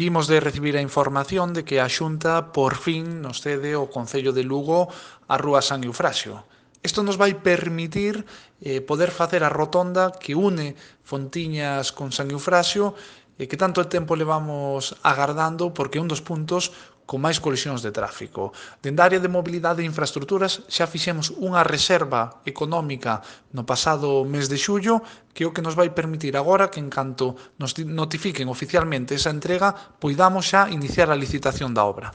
vimos de recibir a información de que a Xunta por fin nos cede o Concello de Lugo a Rúa San Eufrasio. Isto nos vai permitir poder facer a rotonda que une Fontiñas con San Eufrasio e que tanto tempo levamos agardando porque é un dos puntos con máis colisións de tráfico. Dende a área de mobilidade e infraestructuras xa fixemos unha reserva económica no pasado mes de xullo que é o que nos vai permitir agora que en canto nos notifiquen oficialmente esa entrega poidamos xa iniciar a licitación da obra.